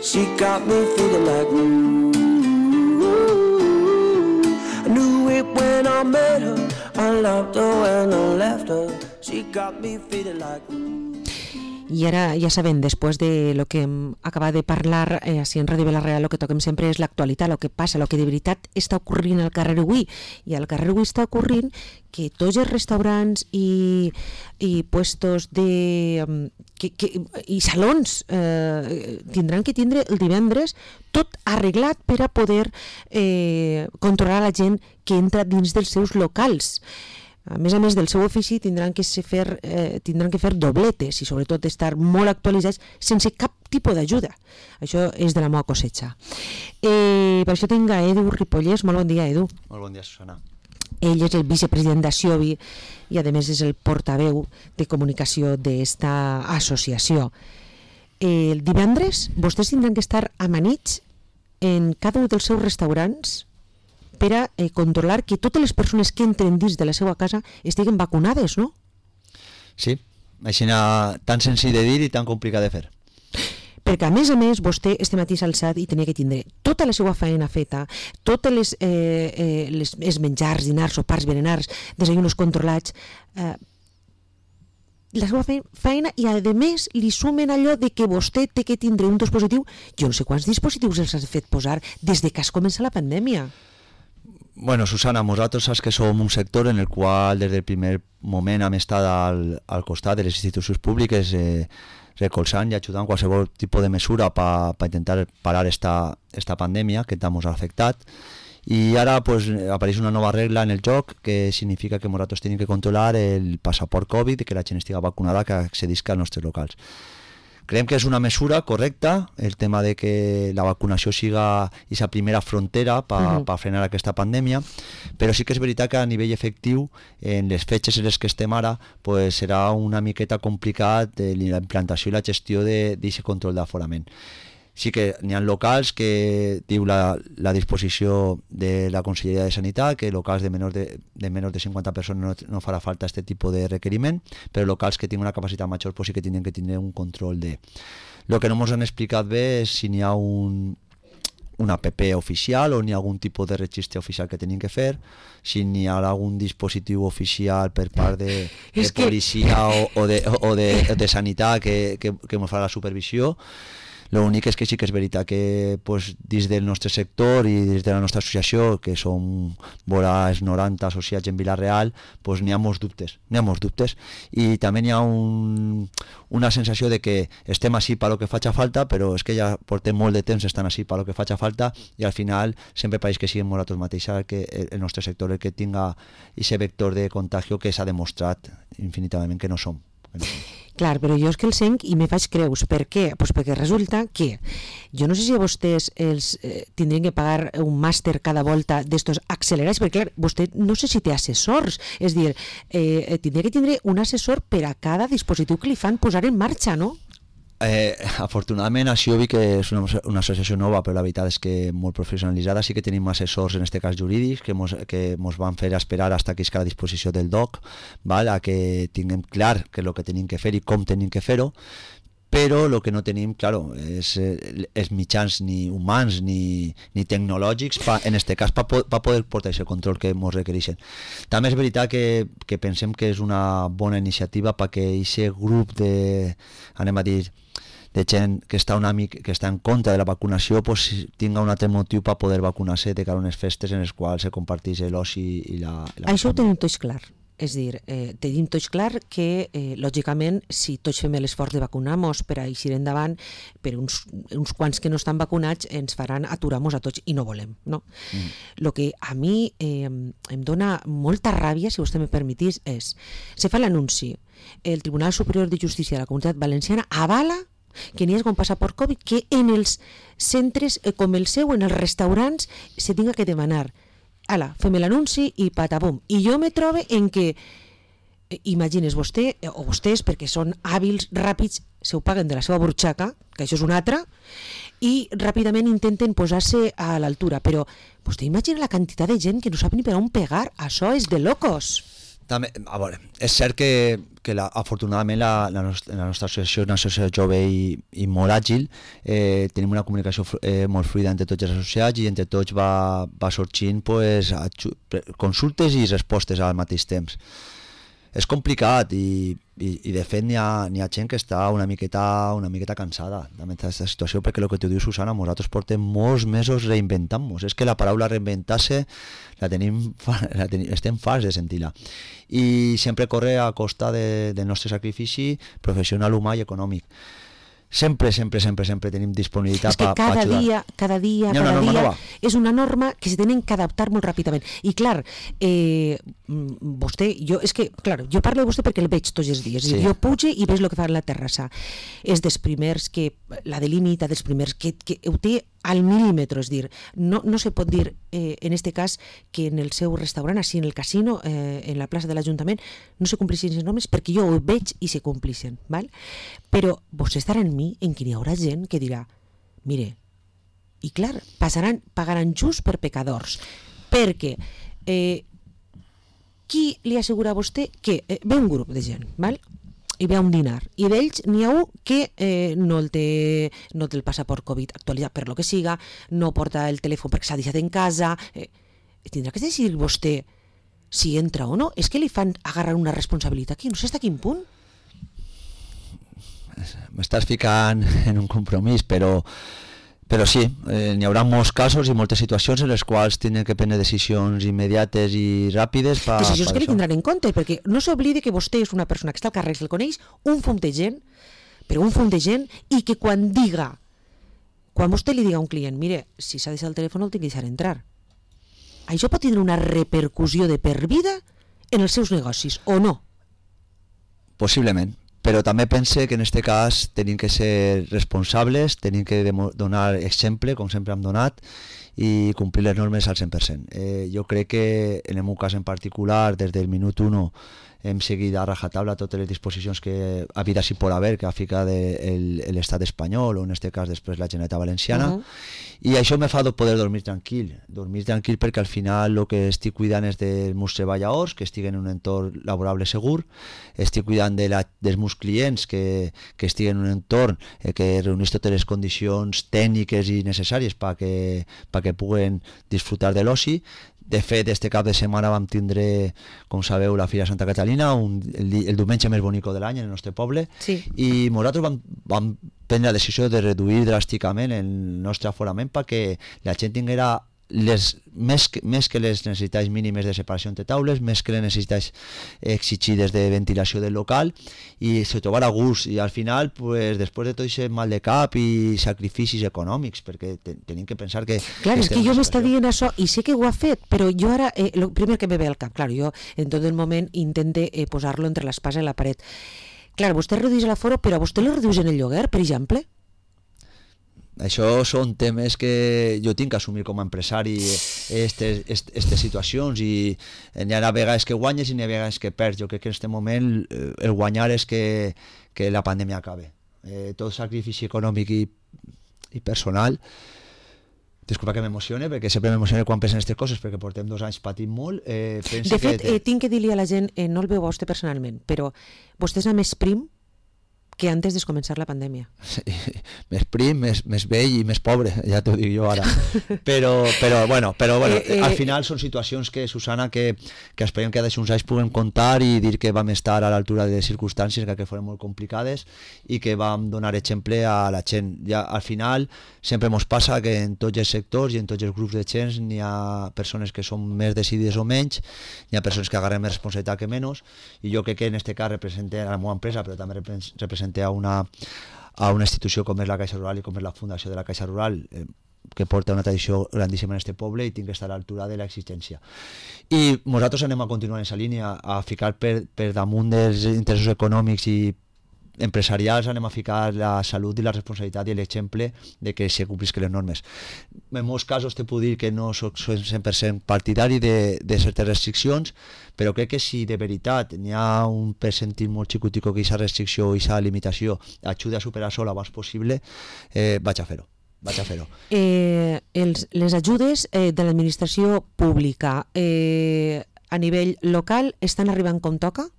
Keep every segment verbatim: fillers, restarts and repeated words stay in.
She got me feeling like ooh, ooh. I knew it when I met her, I loved her when I left her. She got me feeling like ooh. I ara, ja sabem, després de lo que hem acabat de parlar, eh, així en Ràdio Vila-real, el que toquem sempre és l'actualitat, el que passa, el que de veritat està ocorrint al carrer avui. I al carrer avui està ocorrint que tots els restaurants i, i puestos de... Que, que, i salons eh, tindran que tindre el divendres tot arreglat per a poder eh, controlar la gent que entra dins dels seus locals. A més a més del seu ofici tindran que fer, eh, tindran que fer dobletes i sobretot estar molt actualitzats sense cap tipus d'ajuda. Això és de la meva cosecha. Eh, per això tinc a Edu Ripollès. Molt bon dia, Edu. Molt bon dia, Susana. Ell és el vicepresident d'Axiovi i a més és el portaveu de comunicació d'esta associació. El divendres vostès tindran que estar amanits en cada un dels seus restaurants per a eh, controlar que totes les persones que entren dins de la seva casa estiguen vacunades, no? Sí, així tan senzill de dir i tan complicat de fer. Perquè a més a més vostè este matí s'ha alçat i tenia que tindre tota la seva feina feta, totes les, eh, eh, les, els menjars, dinars, sopars, berenars, desayunos controlats, eh, la seva feina, i a més li sumen allò de que vostè té que tindre un dispositiu. Jo no sé quants dispositius els has fet posar des de que has començat la pandèmia. Bueno, Susana, nosaltres saps que som un sector en el qual des del primer moment hem estat al, al costat de les institucions públiques eh, recolzant i ajudant qualsevol tipus de mesura per pa intentar parar esta, esta pandèmia que ens ha afectat. I ara pues, apareix una nova regla en el joc que significa que nosaltres tenim que controlar el passaport Covid i que la gent estigui vacunada que accedisca als nostres locals. Creiem que és una mesura correcta, el tema de que la vacunació siga aquesta primera frontera per uh-huh. pa frenar aquesta pandèmia, però sí que és veritat que a nivell efectiu, en les fetges en les que estem ara, pues, serà una miqueta complicat eh, la implantació i la gestió d'aquest control d'aforament. Sí que n'hi ha locals que diu la, la disposició de la Conselleria de Sanitat que locals de menys de, de, menys de cinquanta persones no, no farà falta aquest tipus de requeriment, però locals que tinguin una capacitat major pues sí que tindran que tindre un control de... El que no ens han explicat bé és si n'hi ha un, una app oficial o n'hi ha algun tipus de registre oficial que tenim que fer, si n'hi ha algun dispositiu oficial per part de, de policia que... o, o, de, o de, de sanitat que, que, que ens farà la supervisió. L'únic és que sí que és veritat que pues, dins del nostre sector i des de la nostra associació, que som vora els noranta associats en Vila-real, pues, n'hi ha molts dubtes, n'hi ha molts dubtes. I també n'hi ha un, una sensació de que estem així per lo que faci falta, però és que ja portem molt de temps estant així per lo que faci falta i al final sempre pareix que siguem nosaltres mateixos que el nostre sector el que tinga aquest vector de contagio que s'ha demostrat infinitament que no som. Que no som. Clar, però jo és que el senc i me faig creus. Per què? Pues perquè resulta que jo no sé si vostès els, eh, tindrien que pagar un màster cada volta d'estos accelerats, perquè clar, vostè no sé si té assessors, és dir, eh, tindria que tindre un assessor per a cada dispositiu que li fan posar en marxa, no? Eh, afortunadament Axiovi, que és una, una associació nova, però la veritat és que molt professionalitzada, sí que tenim assessors en aquest cas jurídics que mos, que mos van fer esperar fins que isca a la disposició del D O C, val? A que tinguem clar què és el que tenim que fer i com tenim que fer-ho, però el que no tenim, claro, és, és mitjans ni humans ni, ni tecnològics, pa, en aquest cas, per pa poder portar aquest control que ens requereixen. També és veritat que, que pensem que és una bona iniciativa perquè aquest grup de, anem a dir, de gent que està, una mica, que està en contra de la vacunació pues, tinga un altre motiu per poder vacunar-se de cara a unes festes en les quals se comparteix l'oci i la... I la Això ho tenim tots clar. És dir, eh, tenim tots clar que, eh, lògicament, si tots fem l'esforç de vacunar-nos per a eixir endavant, per uns, uns quants que no estan vacunats ens faran aturar-nos a tots i no volem, no? Mm. Lo que a mi eh, em dona molta ràbia, si vostè me permetís, és, se fa l'anunci, el Tribunal Superior de Justícia de la Comunitat Valenciana avala que n'hi hagi un passaport Covid, que en els centres eh, com el seu, en els restaurants, se tinga que demanar. Ala, fem l'anunci i patabum. I jo me trobo en que, eh, imagines vostè, eh, o vostès, perquè són hàbils, ràpids, se ho paguen de la seva burxaca, que això és una altra, i ràpidament intenten posar-se a l'altura. Però vostè imagina la quantitat de gent que no sap ni per on pegar. Això és de locos. També, a veure, és cert que, que la, afortunadament la, la, nostra, la nostra associació és una associació jove i, i molt àgil, eh, tenim una comunicació eh, molt fluida entre tots els associats i entre tots va, va sorgint pues, consultes i respostes al mateix temps. És complicat i, i, i de fet n'hi ha, n'hi ha gent que està una miqueta, una miqueta cansada d'aquesta situació, perquè el que tu dius, Susana, nosaltres portem molts mesos reinventant-nos. És que la paraula reinventar-se la tenim, la tenim, estem farts de sentir-la. I sempre corre a costa de, del nostre sacrifici professional, humà i econòmic. Sempre, sempre, sempre, sempre tenim disponibilitat per ajudar. És que cada dia, cada dia, cada dia nova. És una norma que se tenen que adaptar molt ràpidament. I clar, eh, vostè, jo, és que, clar, jo parlo de vostè perquè el veig tots els dies. Sí. Jo puge i veig el que fa a la terrassa. És dels primers que, la delimita dels primers, que, que ho té al mil·límetre, és dir, no, no se pot dir eh, en este cas que en el seu restaurant, així en el casino, eh, en la plaça de l'Ajuntament, no se complixin les normes, perquè jo ho veig i se complixen, val? Però vostè estarà en mi en què hi haurà gent que dirà, mire, i clar, passaran, pagaran just per pecadors, perquè eh, qui li assegura a vostè que eh, ve un grup de gent, val? I ve a un dinar, i d'ells n'hi ha un que eh, no, el té, no té el passaport Covid actualitzat per lo que siga, no porta el telèfon perquè s'ha deixat en casa, eh, tindrà que decidir vostè si entra o no. És que li fan agarrar una responsabilitat aquí, no sé fins a quin punt. M'estàs ficant en un compromís, però però sí, eh, n'hi haurà molts casos i moltes situacions en les quals tenen que prendre decisions immediates i ràpides per, decisions per que li tindran en compte, perquè no s'oblidi que vostè és una persona que està al carrer, se'l coneix, un fum de gent, però un fum de gent, i que quan diga, quan vostè li diga a un client, mire, si s'ha deixat el telèfon el tinc que deixar entrar, això pot tindre una repercussió de per vida en els seus negocis, o no? Possiblement. Però també pense que en aquest cas tenim que ser responsables, tenim que donar exemple, com sempre hem donat, i complir les normes al cent per cent. Eh, jo crec que en el meu cas en particular, des del minut u hem seguit a rajatabla totes les disposicions que ha hagut així per haver, que ha ficat l'estat espanyol, o en aquest cas després la Generalitat Valenciana, uh -huh. i això me fa poder dormir tranquil, dormir tranquil perquè al final el que estic cuidant és dels meus treballadors, que estiguen en un entorn laborable segur, estic cuidant de la, dels meus clients, que, que estiguen en un entorn eh, que reunís totes les condicions tècniques i necessàries perquè pa que puguen disfrutar de l'oci. De fet, este cap de setmana vam tindre, com sabeu, la Fira Santa Catalina, un, el, el diumenge més bonic de l'any en el nostre poble, sí. I nosaltres vam, vam prendre la decisió de reduir dràsticament el nostre aforament perquè la gent tinguera les, més, que, més que les necessitats mínimes de separació entre taules, més que les necessitats exigides de ventilació del local, i se trobara a gust, i al final, pues, després de tot aquest mal de cap i sacrificis econòmics, perquè te, tenim que pensar que... Clar, és que jo m'està dient això, i sé que ho ha fet, però jo ara, eh, el primer que me ve al cap, clar, jo en tot el moment intente eh, posar-lo entre l'espasa i la paret. Clar, vostè redueix l'aforo, però vostè lo redueix en el lloguer, per exemple? Això són temes que jo tinc que assumir com a empresari, aquestes situacions, i n'hi ha vegades que guanyes i n'hi ha vegades que perds. Jo crec que en aquest moment el guanyar és que, que la pandèmia acabe. Eh, tot sacrifici econòmic i, i personal, disculpa que m'emocione, perquè sempre m'emocione quan penso en aquestes coses, perquè portem dos anys patint molt. Eh, de fet, que... eh, tinc que dir-li a la gent, eh, no el veu a vostè personalment, però vostè és a més prim que antes de començar la pandèmia. Sí, més prim, més, més vell i més pobre, ja t'ho dic jo ara. Però, però bueno, però, bueno eh, eh, al final són situacions que, Susana, que, que esperem que d'aquí uns anys puguem contar i dir que vam estar a l'altura de circumstàncies que foren molt complicades i que vam donar exemple a la gent. Ja, al final sempre ens passa que en tots els sectors i en tots els grups de gent n'hi ha persones que són més decidides o menys, n'hi ha persones que agarren més responsabilitat que menys, i jo crec que en aquest cas representa a la meva empresa, però també representa a una, a una institució com és la Caixa Rural i com és la Fundació de la Caixa Rural, eh, que porta una tradició grandíssima en aquest poble i tinc que estar a l'altura de l'existència. I nosaltres anem a continuar en aquesta línia, a ficar per, per damunt dels interessos econòmics i empresarials, anem a ficar la salut i la responsabilitat i l'exemple de que se complisquen les normes. En molts casos te puc dir que no soc cent per cent partidari de, de certes restriccions, però crec que si de veritat n'hi ha un percentil molt xicutico que aquesta restricció o aquesta limitació ajuda a superar sola abans possible, eh, vaig a fer-ho. Vaig a fer-ho. Eh, els, les ajudes eh, de l'administració pública, eh, a nivell local estan arribant com toca?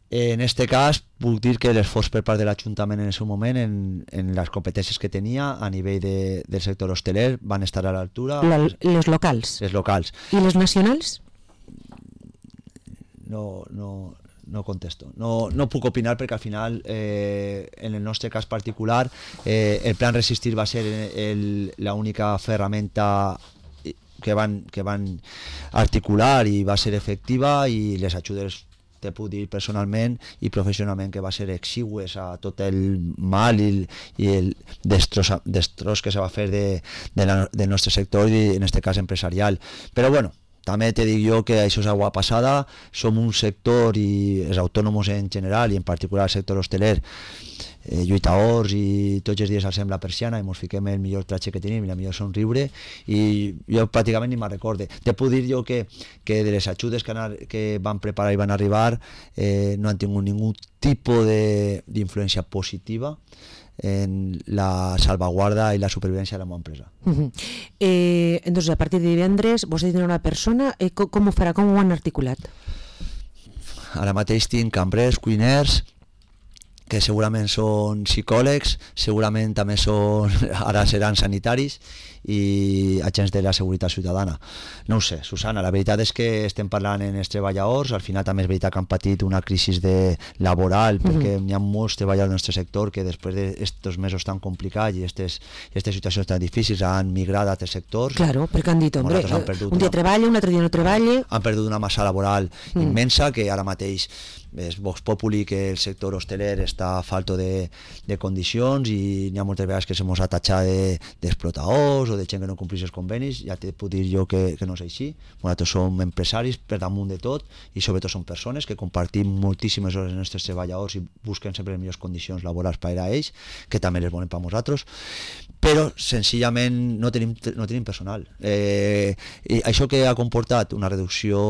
En este cas, puc dir que l'esforç per part de l'Ajuntament en aquest moment, en, en les competències que tenia a nivell de, del sector hosteler, van estar a l'altura. La, les locals. Les locals. I les nacionals? No, no, no contesto. No, no puc opinar perquè al final, eh, en el nostre cas particular, eh, el plan Resistir va ser el, la única ferramenta que van, que van articular i va ser efectiva, i les ajudes te puc dir personalment i professionalment que va ser exigües a tot el mal i, i el destroç, destroç que se va fer de, de la, del nostre sector i en este cas empresarial. Però bueno, també te dic jo que això és agua passada, som un sector i els autònoms en general i en particular el sector hosteler, eh, lluitadors, i tots els dies alcem la persiana i ens fiquem el millor tratge que tenim i la millor somriure, i jo pràcticament ni me'n recorde. Te puc dir jo que, que de les ajudes que, anar, que van preparar i van arribar eh, no han tingut ningú tipus d'influència positiva en la salvaguarda i la supervivència de la meva empresa. Uh-huh. eh, entonces, a partir de divendres, vostè tindrà una persona, eh, com, com ho farà, com ho han articulat? Ara mateix tinc cambrers, cuiners, que segurament són psicòlegs, segurament també són, ara seran sanitaris, i agents de la seguretat ciutadana. No ho sé, Susana, la veritat és que estem parlant en els treballadors, al final també és veritat que han patit una crisi de laboral, perquè mm. hi ha molts treballadors del nostre sector que després d'aquests mesos tan complicats i aquestes situacions tan difícils han migrat a altres sectors. Claro, perquè han dit, hombre, han un dia una... treballa, un altre dia no treballa... Han perdut una massa laboral mm. immensa, que ara mateix és Vox Populi que el sector hosteler està falto de, de condicions, i n'hi ha moltes vegades que se mos ha tatxat d'explotadors de, o de gent que no complís els convenis. Ja te puc dir jo que, que no és així. Nosaltres som empresaris per damunt de tot, i sobretot som persones que compartim moltíssimes hores amb els nostres treballadors i busquen sempre les millors condicions laborals per a ells, que també les volen per a nosaltres, però senzillament no tenim, no tenim personal. Eh, i això que ha comportat una reducció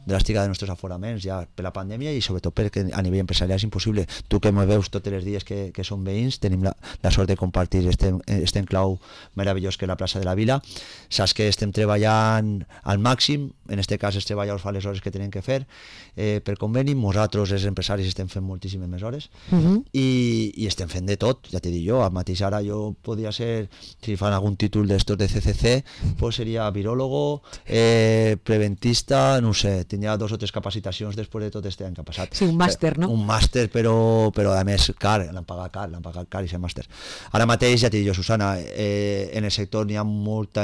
dràstica dels nostres aforaments ja per la pandèmia, i sobretot perquè a nivell empresarial és impossible. Tu que me veus tots els dies que, que som veïns, tenim la, la sort de compartir este, este enclau meravellós que és la plaça de la Vila, saps que estem treballant al màxim, en este cas els treballadors fan les hores que tenen que fer eh, per conveni, nosaltres els empresaris estem fent moltíssimes més hores, uh-huh. i, i estem fent de tot, ja t'he dit jo, al mateix ara jo podria ser, si fan algun títol d'estos de C C C, pues seria viròlogo, eh, preventista, no sé, tindria dos o tres capacitacions després de tot este any que ha passat. Sí, un màster, no? Un màster, però, però a més car, l'han pagat car, l'han pagat car i ser màster. Ara mateix, ja t'he dit jo, Susana, eh, en el sector n'hi ha molta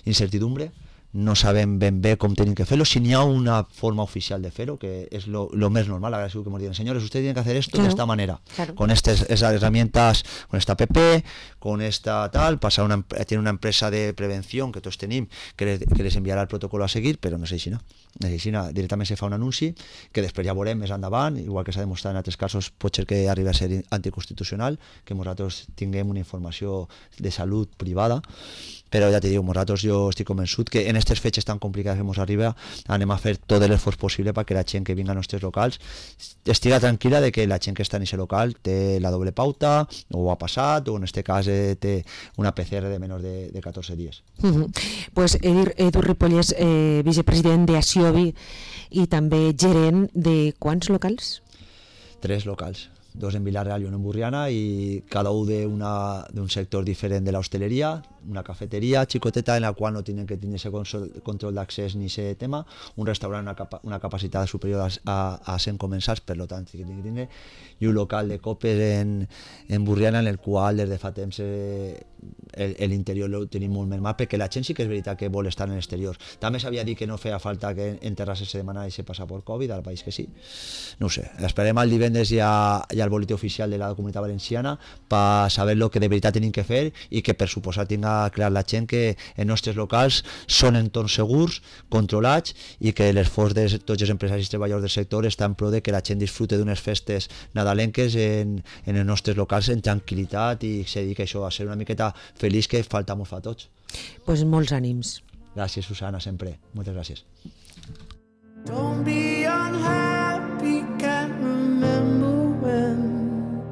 incertidumbre, no sabem ben bé com tenim que fer-lo, si n'hi ha una forma oficial de fer-ho, que és lo, lo més normal, ahora sí que nos digan, señores, ustedes tienen que hacer esto claro. de esta manera, claro. con estas esas herramientas, con esta app, con esta tal, pasar una, tiene una empresa de prevención que todos tenim, que les, que les enviarà el protocolo a seguir, però no sé si no. No sé si no, directament se fa un anunci, que després ja veurem més endavant, igual que s'ha demostrat en altres casos, pot ser que arribi a ser anticonstitucional, que nosaltres tinguem una informació de salut privada, però ja t'he dit, nosaltres jo estic convençut que en aquestes fetges tan complicades que ens arriba anem a fer tot l'esforç possible perquè la gent que vinga als nostres locals estiga tranquil·la de que la gent que està en aquest local té la doble pauta, o ha passat, o en aquest cas eh, té una P C R de menys de, de catorze dies. Uh-huh. Pues Edir, Edu Ripollès, eh, vicepresident d'Asiobi i també gerent de quants locals? Tres locals. Dos en Vila-real i un en Burriana, i cada un d'un sector diferent de l'hostaleria, una cafeteria xicoteta en la qual no tenen que tenir ese control d'accés ni ese tema, un restaurant una, capa, una capacitat superior a, a cent comensals, per tant que tenen que tenir, i un local de copes en, en Burriana, en el qual des de fa temps eh, l'interior lo tenim molt més mal, perquè la gent sí que és veritat que vol estar en l'exterior. També s'havia dit que no feia falta que en terrasses se demanara ese passaport Covid, al país que sí. No ho sé, esperem el divendres ja, ja el boletín oficial de la Comunitat Valenciana per saber el que de veritat tenim que fer, i que per suposar tinga clar la gent que els nostres locals són entorns segurs, controlats, i que l'esforç de tots els empresaris i treballadors del sector està en pro de que la gent disfrute d'unes festes nadalenques en, en els nostres locals en tranquil·litat, i se dedica això a ser una miqueta feliç, que falta molt fa a tots. Pues molts ànims. Gràcies, Susana, sempre. Moltes gràcies. Don't be unhappy, can't remember when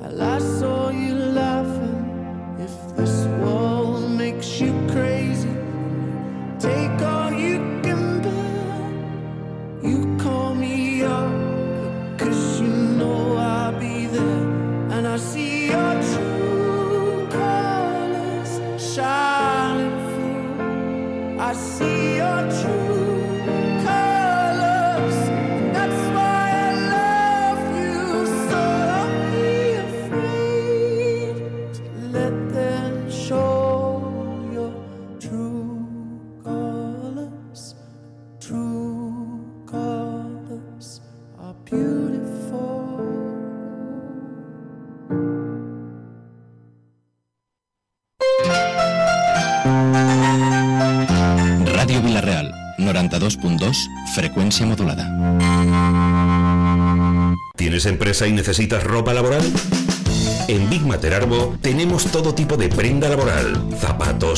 I last saw you laughing. If this world makes you crazy, take all you can bear. noventa-dos punto dos, frecuencia modulada. ¿Tienes empresa y necesitas ropa laboral? En Big Mater Arbo tenemos todo tipo de prenda laboral, zapatos,